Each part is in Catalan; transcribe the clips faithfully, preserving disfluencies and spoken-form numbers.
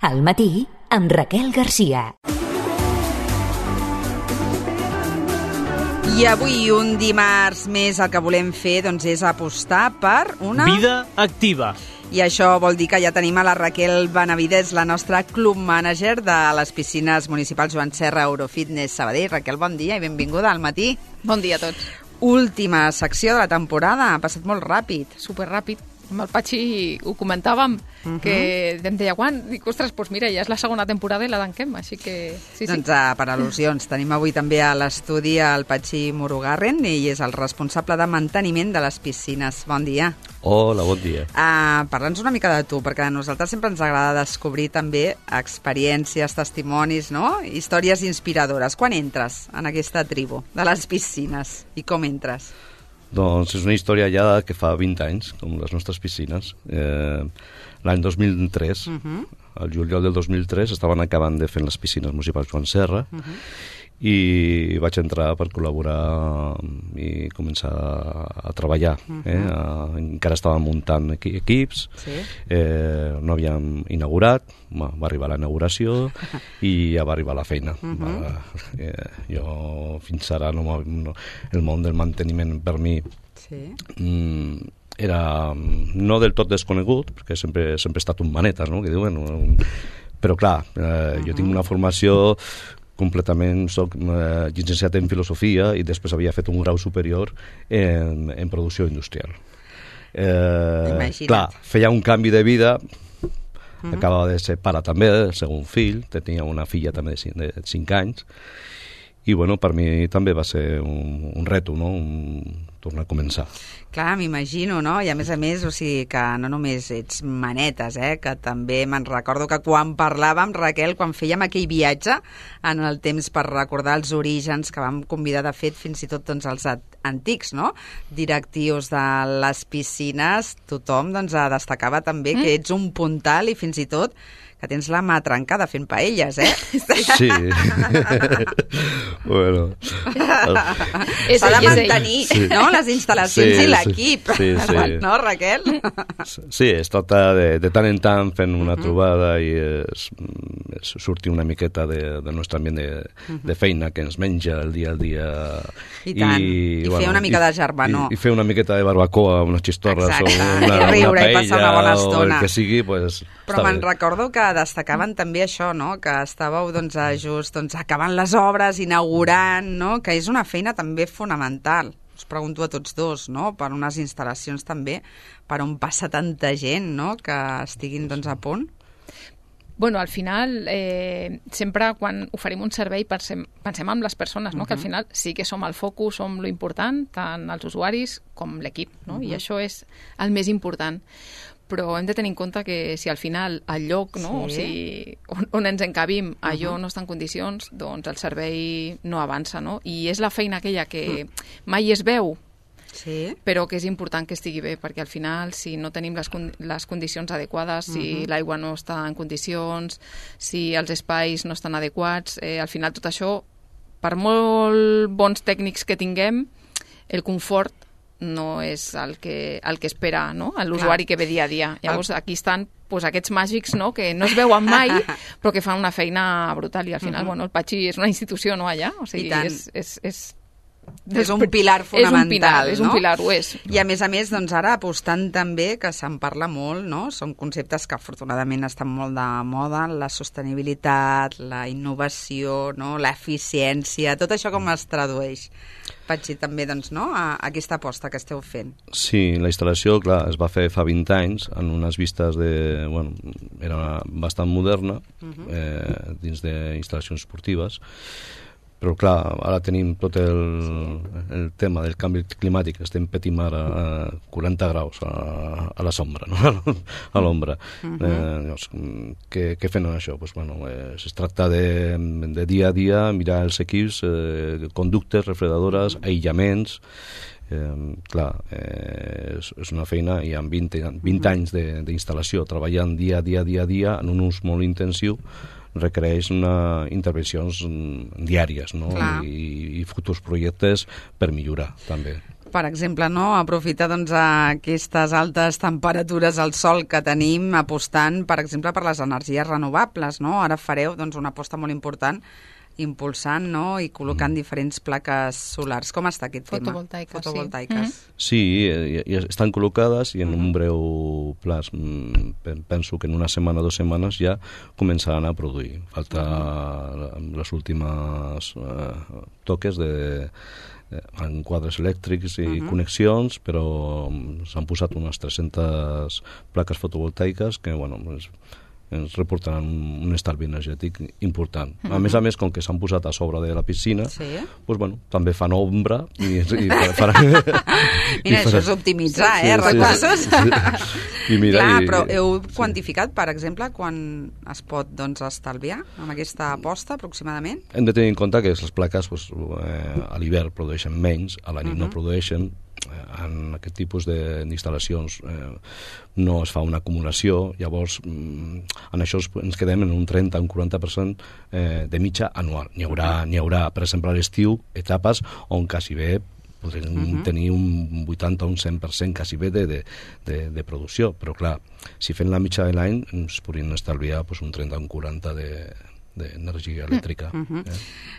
Al matí, amb Raquel Garcia. I avui, un dimarts més, el que volem fer doncs, és apostar per una... vida activa. I això vol dir que ja tenim a la Raquel Benavides, la nostra club manager de les piscines municipals Joan Serra Eurofitness Sabadell. Raquel, bon dia i benvinguda al matí. Bon dia a tots. Última secció de la temporada, ha passat molt ràpid. Superràpid. Amb el Patxi ho comentàvem, uh -huh. que em deia, quan? Dic, ostres, doncs mira, ja és la segona temporada i la tanquem, així que... Sí, sí. Doncs uh, per al·lusions, tenim avui també a l'estudi el Patxi Murugarren, i és el responsable de manteniment de les piscines. Bon dia. Hola, bon dia. Uh, Parla'ns una mica de tu, perquè a nosaltres sempre ens agrada descobrir també experiències, testimonis, no? Històries inspiradores. Quan entres en aquesta tribu de les piscines i com entres? Doncs és una història ja que fa vint anys, com les nostres piscines. Eh, L'any dos mil tres, uh-huh. el juliol del dos mil tres, estaven acabant de fer les piscines municipals Joan Serra, uh-huh. i vaig entrar per col·laborar i començar a treballar. Uh-huh. eh? a, encara estàvem muntant equi equips, sí. eh, no havíem inaugurat, va, va arribar la inauguració i ja va arribar la feina. Uh-huh. va, eh, jo fins ara no, no, el món del manteniment per mi sí. mm, era no del tot desconegut, perquè sempre, sempre he estat un manetes, no? que diuen, però clar, eh, uh-huh. jo tinc una formació completament, soc eh, llicenciat en filosofia i després havia fet un grau superior en, en producció industrial. Eh, clar, feia un canvi de vida, uh-huh. acabava de ser pare també, el segon fill, tenia una filla també de cinc anys, i bueno, per mi també va ser un, un reto, no? un, tornar a començar. Clar, m'imagino, no? I a més a més, o sigui, que no només ets manetes, eh? Que també me'n recordo que quan parlàvem, Raquel, quan fèiem aquell viatge en el temps per recordar els orígens, que vam convidar, de fet, fins i tot doncs, els antics, no? Directius de les piscines, tothom doncs, destacava també mm. que ets un puntal i fins i tot que tens la mà trencada fent paelles, eh? Sí. bueno. S'ha de mantenir, sí. no?, les instal·lacions sí, i l'equip. Sí, sí. No, Raquel? Sí, es tracta de, de tant en tant fent una uh-huh. trobada i es, es sortir una miqueta de, del nostre ambient de, uh-huh. de feina que ens menja el dia al dia. I tant. I, I bueno, fer una mica i, de germanor. I, I fer una miqueta de barbacoa, unes xistorres Exacte. o una, I riure, una paella i passar una bona estona. o el que sigui, pues, però me'n recordo que destacaven també això, no? Que estàveu doncs, just doncs, acabant les obres, inaugurant, no? Que és una feina també fonamental. Us pregunto a tots dos, no? Per unes instal·lacions també, per on passa tanta gent, no? Que estiguin doncs, a punt. Bueno, al final, eh, sempre quan oferim un servei pensem, pensem en les persones, no? Uh-huh. Que al final sí que som el focus, som lo important, tant els usuaris com l'equip, no? Uh-huh. I això és el més important. Però hem de tenir en compte que si al final el lloc, no? Sí. O sigui, on, on ens encabim, allò uh-huh. no està en condicions, doncs el servei no avança, no? I és la feina aquella que uh-huh. mai es veu, sí. però que és important que estigui bé, perquè al final, si no tenim les, con les condicions adequades, si uh-huh. l'aigua no està en condicions, si els espais no estan adequats, eh, al final tot això, per molt bons tècnics que tinguem, el confort no és el que, el que espera, no? L'usuari que ve dia a dia. Llavors, aquí estan pues, aquests màgics, no? Que no es veuen mai, però que fan una feina brutal. I al final, uh-huh. bueno, el Patxi és una institució, no, allà? O sigui, és, és, és, és un pilar fonamental, és un pilar, no? És un pilar, ho és. I a més a més, doncs ara apostant també, que se'n parla molt, no? Són conceptes que afortunadament estan molt de moda, la sostenibilitat, la innovació, no? L'eficiència, tot això com es tradueix? Patxi, també, doncs, no?, a aquesta aposta que esteu fent. Sí, la instal·lació, clar, es va fer fa vint anys en unes vistes de... Bueno, era bastant moderna, uh-huh. eh, dins d'instal·lacions esportives, però clar, ara tenim tot el, el tema del canvi climàtic, estem patint ara a quaranta graus a, a la sombra, no? a l'ombra. Uh-huh. eh, llavors, què, què fem amb això? Pues, bueno, eh, es tracta de, de dia a dia mirar els equips, eh, conductes, refredadores, uh-huh. aïllaments. Eh, clar, eh, és, és una feina i amb vint, vint uh-huh. anys d'instal·lació, treballant dia a dia, dia a dia, en un ús molt intensiu, requereix una intervencions diàries, no? I, i futurs projectes per millorar també. Per exemple, no? Aprofitar doncs, aquestes altes temperatures al sol que tenim apostant, per exemple, per les energies renovables. No? Ara fareu doncs, una aposta molt important impulsant, no? I col·locant mm. diferents plaques solars. Com està aquest tema? Fotovoltaiques. Fotovoltaiques. Sí, mm. sí ja, ja estan col·locades i en mm. un breu plaç, penso que en una setmana o dues setmanes ja començaran a produir. Falta mm. les últimes eh, toques de en quadres elèctrics i uh-huh. connexions, però s'han posat unes tres-centes plaques fotovoltaiques que, bueno, ens, ens reportaran un estalvi energètic important. Uh-huh. A més a més, com que s'han posat a sobre de la piscina, sí. pues, bueno, també fan ombra i, i faran... Mira, i això és optimitzar, sí, eh, recursos. Sí, sí. I mira, clar, i, però heu quantificat, per exemple, quan es pot doncs, estalviar amb aquesta aposta, aproximadament? Hem de tenir en compte que les plaques pues, eh, a l'hivern produeixen menys, a la nit uh-huh. no produeixen. En aquest tipus d'instal·lacions eh, no es fa una acumulació, llavors en això ens quedem en un trenta a un quaranta per cent eh, de mitja anual. N'hi haurà, n'hi haurà, per exemple, a l'estiu, etapes on quasi bé podrem uh-huh. tenir un vuitanta o un cent per cent quasi bé de, de, de, de producció, però clar, si fem la mitja de l'any ens podríem estalviar pues, un trenta o un quaranta de d'energia elèctrica. Uh-huh. eh?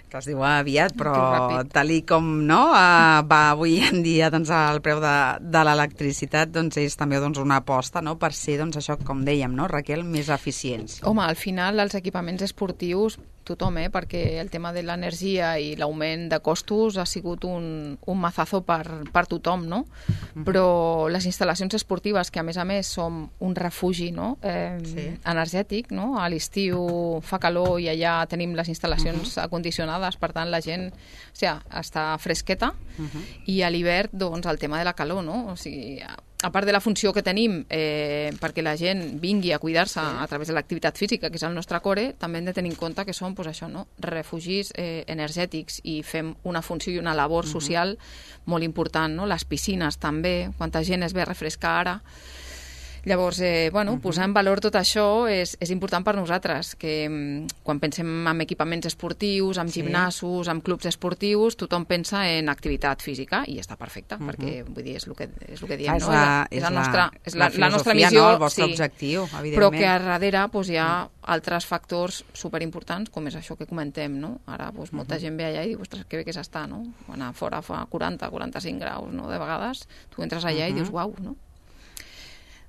Que es diu aviat, però tal i com no, uh, va avui en dia doncs, el preu de, de l'electricitat doncs, és també doncs, una aposta no, per ser, doncs, això com dèiem, no, Raquel, més eficients. Home, al final els equipaments esportius tothom, eh? Perquè el tema de l'energia i l'augment de costos ha sigut un, un mazazo per, per tothom, no? Uh-huh. Però les instal·lacions esportives, que a més a més som un refugi no? eh, sí. energètic, no? A l'estiu fa calor i allà tenim les instal·lacions uh-huh. acondicionades, per tant la gent o sigui, està fresqueta uh-huh. i a l'hivern doncs, el tema de la calor, no? O sigui, a part de la funció que tenim eh, perquè la gent vingui a cuidar-se a través de l'activitat física, que és el nostre core, també hem de tenir en compte que som pues, això, no? refugis eh, energètics i fem una funció i una labor uh-huh. social molt important. No? Les piscines també, quanta gent es ve a refrescar ara. Llavors, eh, bueno, uh-huh. posar en valor tot això és, és important per nosaltres, que quan pensem en equipaments esportius, en sí. gimnasos, en clubs esportius, tothom pensa en activitat física i està perfecte, uh-huh. perquè vull dir, és el que, és el que diem, ah, és no? La, és, és, la, nostra, és la, la, la nostra missió, no? El vostre sí, objectiu, evidentment. Però que a darrere pues, hi ha uh-huh. altres factors superimportants, com és això que comentem, no? Ara pues, molta uh-huh. gent ve allà i diu, ostres, que bé que s'està, no? Quan a fora fa quaranta a quaranta-cinc graus, no? De vegades, tu entres allà uh-huh. i dius, uau, no?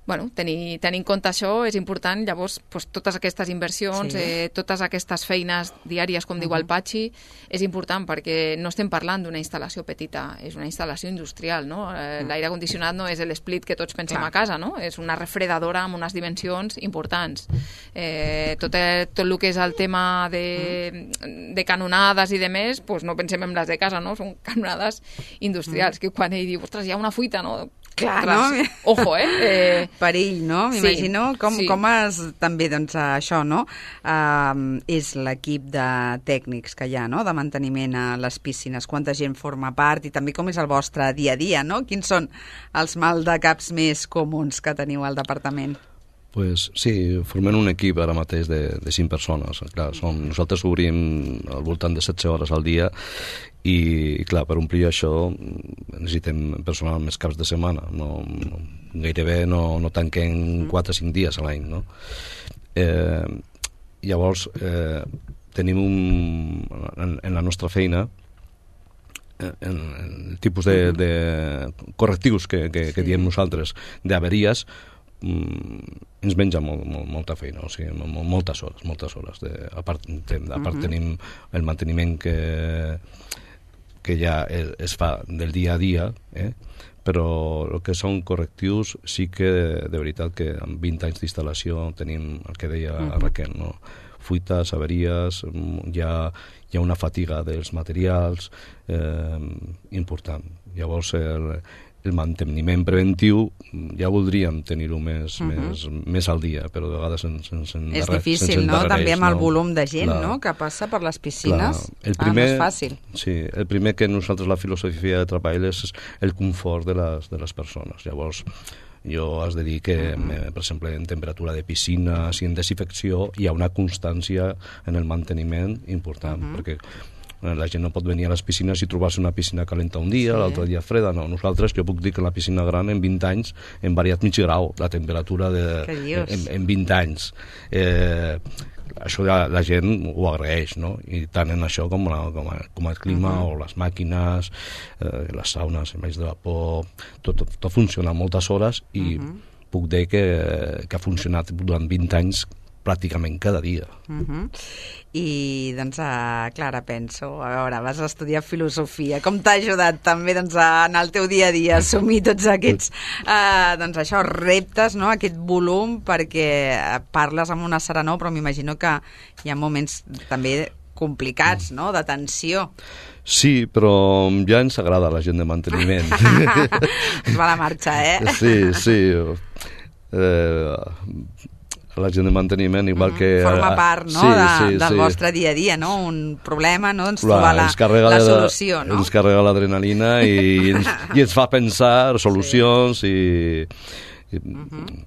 Bueno, tenir, tenir en compte això és important, llavors pues, totes aquestes inversions, sí. eh, totes aquestes feines diàries, com uh-huh. diu el Patxi, és important perquè no estem parlant d'una instal·lació petita, és una instal·lació industrial, no? Eh, l'aire condicionat no és l'split que tots pensem Clar. A casa, no? És una refredadora amb unes dimensions importants. Eh, tot, el, tot el que és el tema de, de canonades i de més, pues, no pensem en les de casa, no? Són canonades industrials, uh-huh. que quan ell diu, ostres, hi ha una fuita, no? Clar, Ostres, no? Ojo, eh? eh? Perill, no? M'imagino sí, com, sí. com es, també, doncs, això, no? Uh, és l'equip de tècnics que hi ha, no?, de manteniment a les piscines. Quanta gent forma part i també com és el vostre dia a dia, no? Quins són els maldecaps més comuns que teniu al departament? Pues sí, formem un equip ara mateix de, de cinc persones. Clar, som, nosaltres obrim al voltant de setze hores al dia i, clar, per omplir això necessitem personal més caps de setmana. No, no, gairebé no, no tanquem quatre o cinc dies a l'any, no? Eh, llavors, eh, tenim un... En, en la nostra feina en, en el tipus de, de correctius que, que, que diem nosaltres d'averies ens menja molt, molt, molta feina, o sigui, moltes hores, moltes hores. De, a part, de, a part uh-huh. tenim el manteniment que, que ja es, es fa del dia a dia, eh? Però el que són correctius sí que, de veritat, que amb vint anys d'instal·lació tenim el que deia uh-huh. Raquel, no? Fuites, averies, hi ha, hi ha una fatiga dels materials eh, important. Llavors, el, el manteniment preventiu ja voldríem tenir-ho més, uh-huh. més, més al dia, però de vegades sense, sense és difícil, no? També amb el no? volum de gent, clar. No? Que passa per les piscines. El primer, ah, no és fàcil. Sí, el primer que nosaltres la filosofia de treball és el confort de les, de les persones. Llavors, jo has de dir que, uh-huh. per exemple, en temperatura de piscines i en desinfecció hi ha una constància en el manteniment important, uh-huh. perquè La gent no pot venir a les piscines i trobar-se una piscina calenta un dia, sí. l'altre dia freda, no. Nosaltres, jo puc dir que la piscina gran en vint anys hem variat mig grau, la temperatura de, en, en vint anys. Eh, això la, la gent ho agraeix, no? I tant en això com, la, com, a, com el clima uh -huh. o les màquines, eh, les saunes, els banys de vapor, tot, tot, tot funciona moltes hores i uh -huh. puc dir que, que ha funcionat durant vint anys pràcticament cada dia. Uh -huh. I, doncs, uh, Clara, penso, a veure, vas estudiar filosofia. Com t'ha ajudat també, doncs, a, en el teu dia a dia a assumir tots aquests, uh, doncs, això, reptes, no?, aquest volum, perquè parles amb una serenor, però m'imagino que hi ha moments també complicats, no?, de tensió. Sí, però ja ens agrada la gent de manteniment. Es va a la marxa, eh? Sí, sí. Eh... la gent de manteniment, igual mm -hmm. que... Forma part, no?, sí, de, sí, del sí. vostre dia a dia, no? Un problema, no?, ens trobar la, la, la solució, no? Ens carrega l'adrenalina i, ens, i ens fa pensar solucions sí. i... i mm -hmm.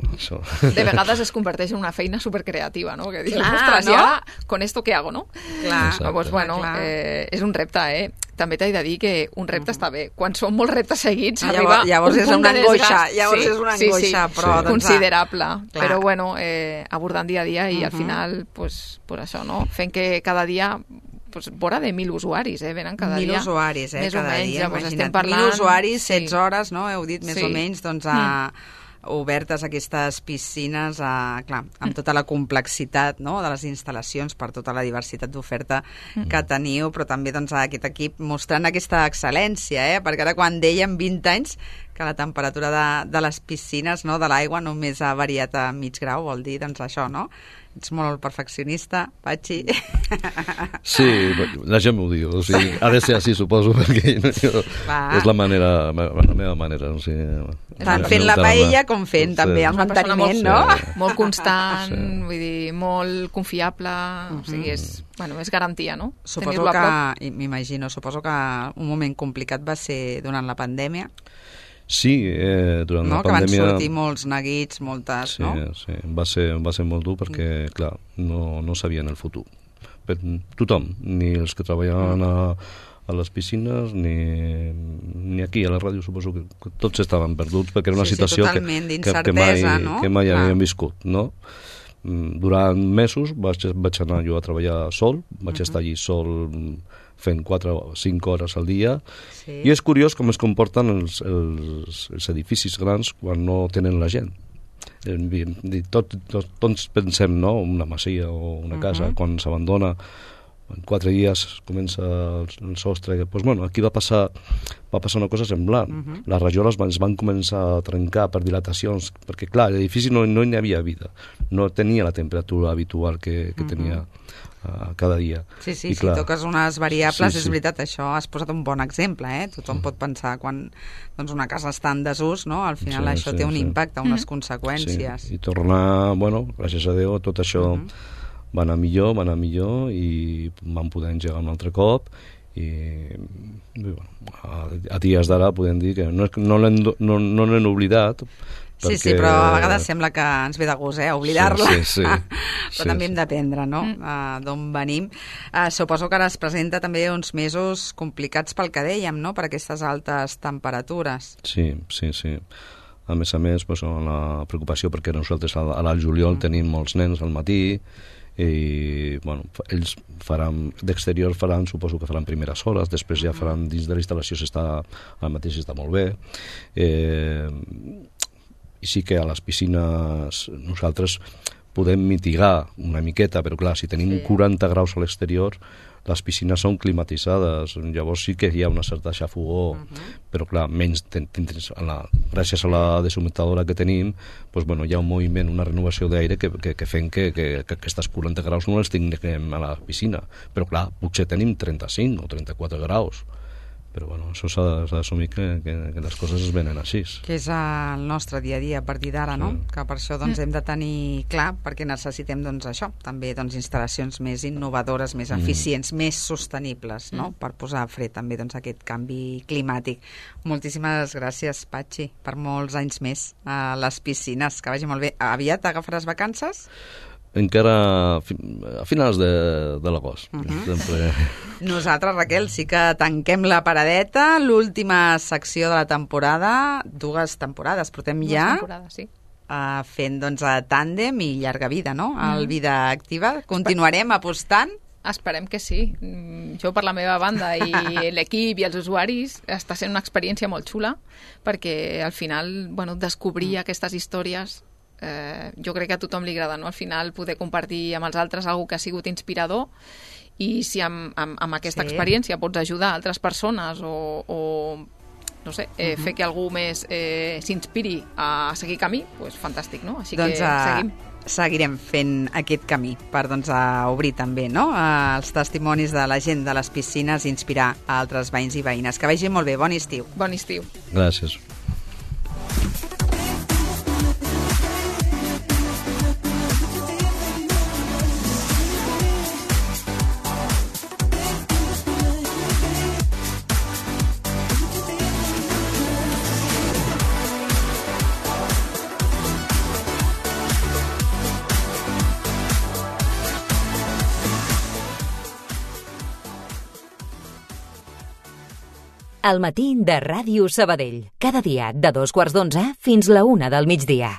Això. De vegades es converteix en una feina supercreativa, no? Que dius, clar, ostres, no? i ara, con esto què hago, no? Clar. Pues, bueno, eh, és un repte, eh? També t'he de dir que un repte uh -huh. està bé. Quan són molts reptes seguits, llavors, arriba llavors un és punt una de angoixa, desgast. llavors sí, és una sí, angoixa, sí, però... sí. Doncs, considerable. clar. Però, bueno, eh, abordant dia a dia i uh -huh. al final, pues, pues això, no? Fent que cada dia... Pues, vora de mil usuaris, eh? Venen cada mil dia. Mil usuaris, eh? Més cada o menys, dia, llavors imagina't. estem parlant... Mil usuaris, sí. setze hores, no? Heu dit, més sí. o menys, doncs, a... Mm. obertes aquestes piscines, a, clar, amb tota la complexitat, no?, de les instal·lacions, per tota la diversitat d'oferta mm. que teniu, però també, doncs, aquest equip mostrant aquesta excel·lència, eh? Perquè ara quan dèiem vint anys que la temperatura de, de les piscines, no?, de l'aigua només ha variat a mig grau, vol dir, doncs, això, no? Ets molt perfeccionista, Patxi. Sí, la gent m'ho diu, o sigui, ha de ser així, suposo, perquè jo, és la manera, la meva manera, o sigui... Tant fent la paella com fent sí. també el manteniment, no? Sí. Molt constant, sí. vull dir, molt confiable, uh -huh. o sigui, és, bueno, és garantia, no? Suposo que, m'imagino, suposo que un moment complicat va ser durant la pandèmia. Sí, eh, durant no, la pandèmia... Que van sortir molts neguits, moltes, sí, no? Sí, va ser, va ser molt dur perquè, mm. clar, no, no sabien el futur. Per tothom, ni els que treballaven mm. a, a les piscines, ni, ni aquí a la ràdio, suposo que, que tots estaven perduts, perquè era una sí, situació sí, que, que, que mai, no? que mai havíem viscut, no? Durant mesos vaig, vaig anar jo a treballar sol, vaig uh-huh. estar allí sol fent quatre o cinc hores al dia, sí. i és curiós com es comporten els, els, els edificis grans quan no tenen la gent. Tot, tot, tots pensem, no?, una masia o una casa, uh-huh. quan s'abandona, en quatre dies comença el, el sostre, doncs, bueno, aquí va passar, va passar una cosa semblant. Uh-huh. Les rajoles van, es van començar a trencar per dilatacions, perquè, clar, l'edifici no, no hi havia vida, no tenia la temperatura habitual que, que uh-huh. tenia uh, cada dia. Sí, sí, I, si clar, toques unes variables, sí, és sí. veritat, això has posat un bon exemple, eh? Tothom uh-huh. pot pensar quan doncs, una casa està en desús, no? Al final sí, això sí, té un sí. impacte, unes uh-huh. conseqüències. Sí. I tornar, bueno, gràcies a Déu, tot això... Uh-huh. va anar millor, va anar millor i vam poder engegar un altre cop i, i bueno, a, a dies d'ara podem dir que no, no l'hem no, no l'hem oblidat sí, perquè... sí, però a vegades sembla que ens ve de gust, eh, oblidar-la sí, sí, sí. però sí, també sí. hem d'aprendre, no? Mm. Uh, d'on venim. Uh, suposo que ara es presenta també uns mesos complicats pel que dèiem, no?, per aquestes altes temperatures. Sí, sí, sí. A més a més, pues, la preocupació perquè nosaltres al juliol mm. tenim molts nens al matí i bueno, ells faran d'exterior faran, suposo que faran primeres hores, després ja faran dins de la instal·lació s'està, al mateix està molt bé eh, i sí que a les piscines nosaltres podem mitigar una miqueta, però clar, si tenim sí. quaranta graus a l'exterior les piscines són climatitzades, llavors sí que hi ha una certa xafogor, uh-huh. però clar, menys ten, ten, a la, gràcies a la deshumidificadora que tenim, doncs, bueno, hi ha un moviment, una renovació d'aire que, que, que fem que, que, que aquestes quaranta graus no les tinguem a la piscina, però clar, potser tenim trenta-cinc o trenta-quatre graus, però bueno, això s'ha d'assumir que, que, que les coses es venen així. Que és el nostre dia a dia a partir d'ara, sí. no? Que per això doncs, hem de tenir clar, perquè necessitem doncs, això, també doncs, instal·lacions més innovadores, més eficients, mm. més sostenibles, no? Mm. Per posar fre també doncs, aquest canvi climàtic. Moltíssimes gràcies, Patxi, per molts anys més a les piscines. Que vagi molt bé. Aviat agafaràs vacances? encara a finals de, de l'agost. Uh-huh. Sempre... Nosaltres, Raquel, sí que tanquem la paradeta, l'última secció de la temporada, dues temporades, portem Dues ja... temporades, sí. Uh, fent doncs, a tàndem i llarga vida, no? El mm. Vida Activa. Continuarem apostant? Esperem que sí. Jo, per la meva banda, i l'equip i els usuaris, està sent una experiència molt xula, perquè al final, bueno, descobrir mm. aquestes històries, eh, jo crec que a tothom li agrada, no? Al final, poder compartir amb els altres algo que ha sigut inspirador, i si amb, amb, amb aquesta sí. experiència pots ajudar altres persones o... o no sé, eh, uh-huh. fer que algú més eh, s'inspiri a seguir camí, doncs fantàstic, no? Així doncs, que seguim. Uh, seguirem fent aquest camí per doncs, a obrir també no? uh, els testimonis de la gent de les piscines i inspirar a altres veïns i veïnes. Que vagi molt bé, bon estiu. Bon estiu. Gràcies. Al matí de Ràdio Sabadell. Cada dia de dos quarts d'onze fins la una del migdia.